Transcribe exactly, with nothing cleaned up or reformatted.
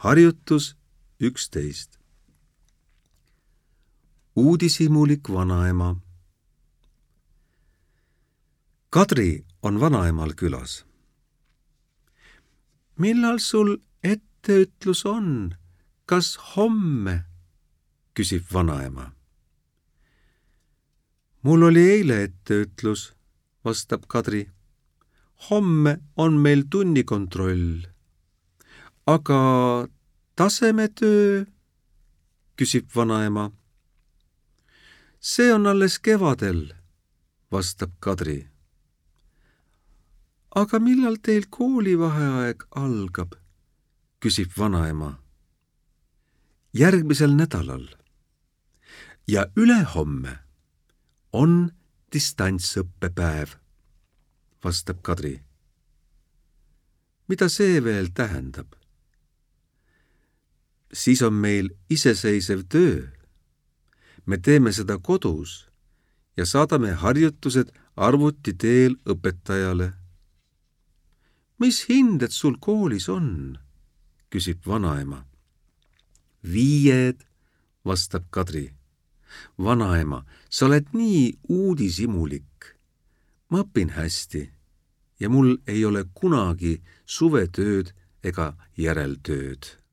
Harjutus üksteist. Uudishimulik vanaema. Kadri on vanaemal külas. Millal sul etteütlus on? Kas homme? Küsib vanaema. Mul oli eile etteütlus, vastab Kadri. Homme on meil tunnikontroll. Aga tasemetöö? Küsib vanaema. See on alles kevadel, vastab Kadri. Aga millal teil koolivaheaeg algab? Küsib vanaema. Järgmisel nädalal. Ja ülehomme on distantsõppepäev, vastab Kadri. Mida see veel tähendab? Siis on meil iseseisev töö. Me teeme seda kodus ja saadame harjutused arvuti teel õpetajale. Mis hinded sul koolis on? Küsib vanaema. Viied, vastab Kadri. Vanaema, sa oled nii uudishimulik. Ma õpin hästi ja mul ei ole kunagi suvetööd ega järeltööd.